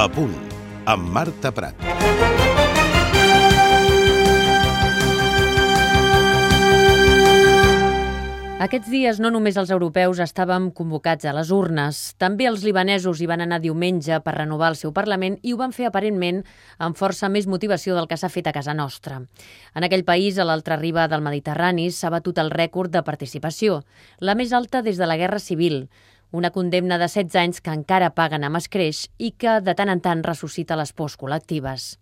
La Punt, amb Marta Prat. Aquests dies no només els europeus estàvem convocats a les urnes, també els libanesos hi van anar diumenge per renovar el seu Parlament i ho van fer aparentment amb força més motivació del que s'ha fet a casa nostra. En aquell país, a l'altra riba del Mediterrani, s'ha batut el rècord de participació, la més alta des de la Guerra Civil, una condemna de 16 anys que encara paguen amb escreix i que de tant en tant ressuscita les pors col·lectives.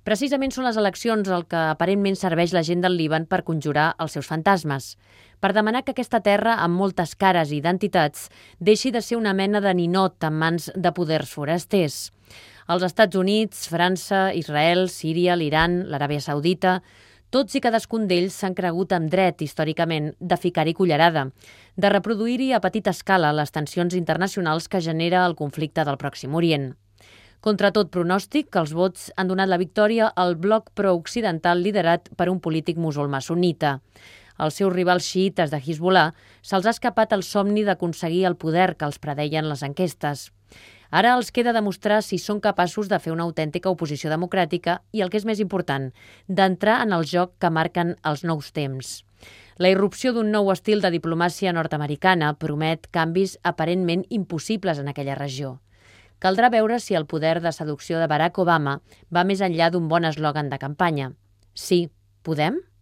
Precisament són les eleccions el que aparentment serveix la gent del Líban per conjurar els seus fantasmes, per demanar que aquesta terra, amb moltes cares i identitats, deixi de ser una mena de ninot en mans de poders forasters. Els Estats Units, França, Israel, Síria, l'Iran, l'Aràbia Saudita, tots i cadascun d'ells s'han cregut amb dret, històricament, de ficar-hi cullerada, de reproduir-hi a petita escala les tensions internacionals que genera el conflicte del Pròxim Orient. Contra tot pronòstic, els vots han donat la victòria al bloc pro-occidental liderat per un polític musulmà sunnita. Als seus rivals xiïtes de Hezbollah se'ls ha escapat el somni d'aconseguir el poder que els predeien les enquestes. Ara els queda demostrar si són capaços de fer una autèntica oposició democràtica i, el que és més important, d'entrar en el joc que marquen els nous temps. La irrupció d'un nou estil de diplomàcia nord-americana promet canvis aparentment impossibles en aquella regió. Caldrà veure si el poder de seducció de Barack Obama va més enllà d'un bon eslògan de campanya. Sí, podem?